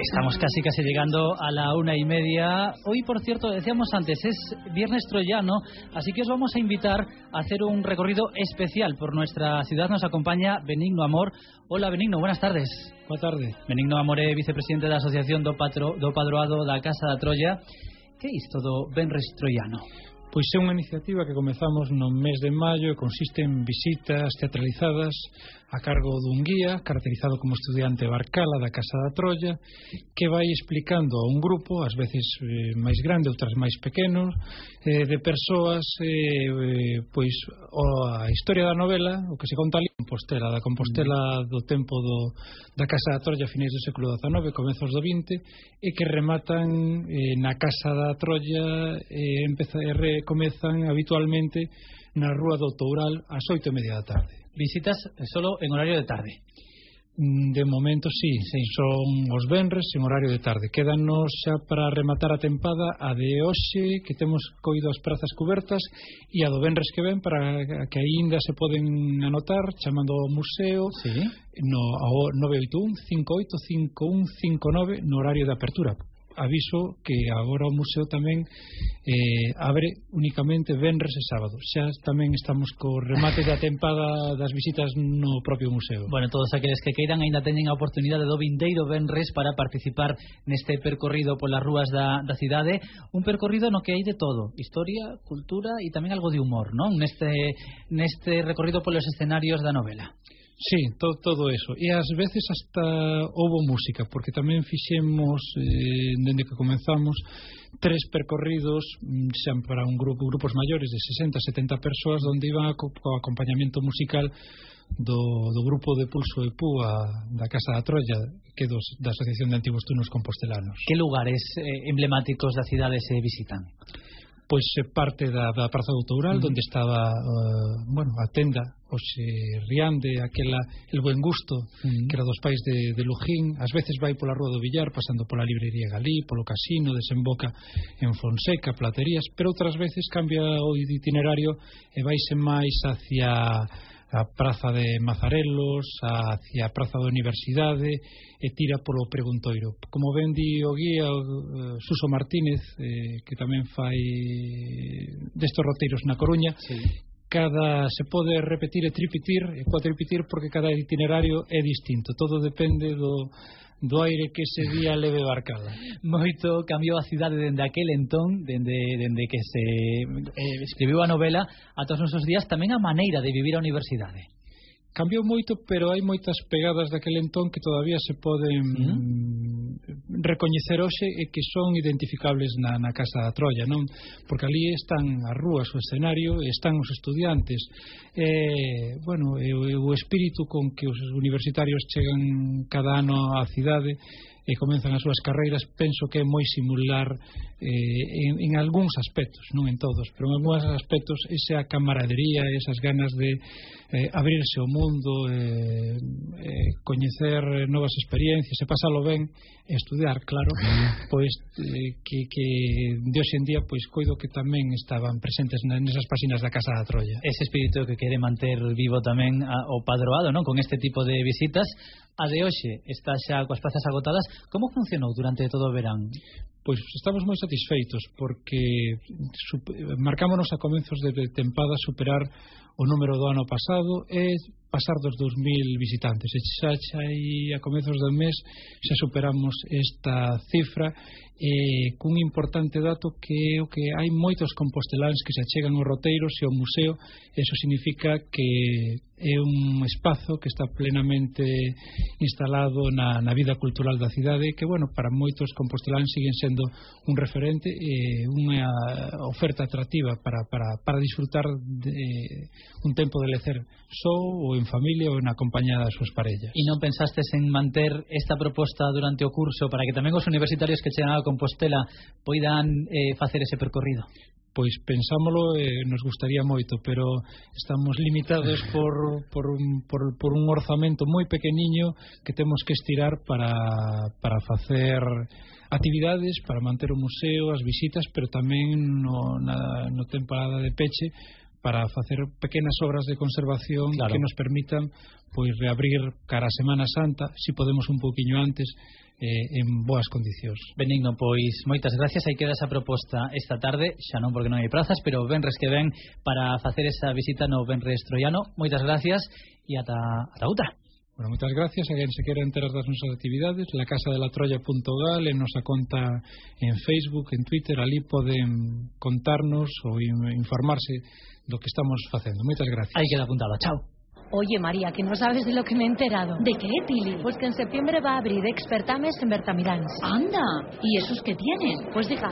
Estamos casi llegando a la 1:30. Hoy, por cierto, decíamos antes, es Viernes Troyano, así que os vamos a invitar a hacer un recorrido especial por nuestra ciudad. Nos acompaña Benigno Amor. Hola, Benigno, buenas tardes. Boa tarde. Benigno Amor é vicepresidente da Asociación do Padroado da Casa da Troia. Que é isto do Venres Troiano? Pois é unha iniciativa que comezamos no mes de maio e consiste en visitas teatralizadas a cargo dun guía caracterizado como estudiante Barcala da Casa da Troia, que vai explicando a un grupo, ás veces máis grande, outras máis pequenos, de persoas pois a historia da novela, o que se conta ali en Compostela, da Compostela do tempo da Casa da Troia a finais do século XIX, comezos do XX, e que rematan na Casa da Troia comezan habitualmente na Rúa do Toural ás 8:30 da tarde. Visitas solo en horario de tarde? De momento sí, son os venres en horario de tarde. Quédanos xa para rematar a tempada a de hoxe, que temos coido as prazas cubertas, e a do venres que ven, para que aínda se poden anotar chamando ao museo, sí, no 981 58 5159 no horario de apertura. Aviso que agora o museo tamén abre únicamente venres e sábados. Xa tamén estamos co remate da tempada das visitas no propio museo. Bueno, todos aqueles que queiran aínda teñen a oportunidade do vindeiro venres para participar neste percorrido polas rúas da cidade. Un percorrido no que hai de todo: historia, cultura e tamén algo de humor, non? Neste recorrido polos escenarios da novela. Sí, todo eso. E ás veces hasta houbo música, porque tamén fixemos, dende que comenzamos, 3 percorridos xa para grupos maiores de 60-70 persoas, onde iban co acompañamento musical do grupo de Pulso e Púa da Casa da Troia, que é da Asociación de Antigos Tunos Compostelanos. Que lugares emblemáticos da cidade se visitan? Pois parte da Praza do Toural, onde estaba a tenda hoxe Riande, el Buen Gusto, que era dos pais de Lujín. Ás veces vai pola Rúa do Villar, pasando pola Librería Galí, polo Casino, desemboca en Fonseca, Platerías, pero outras veces cambia o itinerario e vaise máis hacia a Praza de Mazarelos, hacia a Praza da Universidade, e tira polo Preguntoiro. Como ben di o guía Suso Martínez, que tamén fai destes roteiros na Coruña, sí, se pode repetir e tripitir, porque cada itinerario é distinto. Todo depende do aire que ese día leve Barcala. Moito cambiou a cidade dende aquel entón, dende que se escribiu a novela ata os nosos días, tamén a maneira de vivir a universidade. Cambiou moito, pero hai moitas pegadas daquel entón que todavía se poden recoñecer hoxe e que son identificables na Casa da Troia, non? Porque ali están as rúas, o escenario, e están os estudiantes. O espírito con que os universitarios chegan cada ano á cidade e comenzan as súas carreiras, penso que é moi similar en algúns aspectos, non en todos, pero en algúns aspectos esa camaradería, esas ganas de abrirse ao mundo, coñecer novas experiencias e pasalo ben, e estudiar, claro, pois que de hoxe en día pois coido que tamén estaban presentes nesas páxinas da Casa da Troia. Ese espírito que quere manter vivo tamén o Padroado, non? Con este tipo de visitas. A de hoxe está xa coas plazas agotadas. Como funcionou durante todo o verán? Pois estamos moi satisfeitos, porque marcámonos a comenzos de tempada superar o número do ano pasado e pasar dos 2000 visitantes. E xa a comezos do mes xa superamos esta cifra, cun importante dato que é o que hai moitos composteláns que se achegan aos roteiros e ao museo. Eso significa que é un espazo que está plenamente instalado na vida cultural da cidade, que, para moitos composteláns siguen sendo un referente e unha oferta atractiva para disfrutar de un tempo de lecer só ou en familia ou na compañía das súas parellas. E non pensastes en manter esta proposta durante o curso para que tamén os universitarios que chegan a Compostela poidan facer ese percorrido? Pois pensámolo, nos gustaría moito, pero estamos limitados por un orzamento moi pequeniño que temos que estirar para facer actividades, para manter o museo, as visitas, pero tamén no temporada de peche, para facer pequenas obras de conservación que nos permitan pois reabrir cara a Semana Santa, si podemos un poquinho antes, en boas condicións. Benigno, pois moitas gracias. Aí queda esa proposta esta tarde, xa non porque non hai prazas, pero venres que ven para facer esa visita no Venres Troiano. Moitas gracias e ata outra. Bueno, moitas gracias. A quen se quera enterar das nosas actividades, lacasadelatroia.gal, en nosa conta en Facebook, en Twitter, ali poden contarnos ou informarse do que estamos facendo. Moitas gracias. Aí queda apuntado. Chao. Oye, María, que no sabes de lo que me he enterado. ¿De qué, Pili? Pues que en septiembre va a abrir Expertames en Bertamiráns. Anda, ¿y esos qué tienen? Pues deja,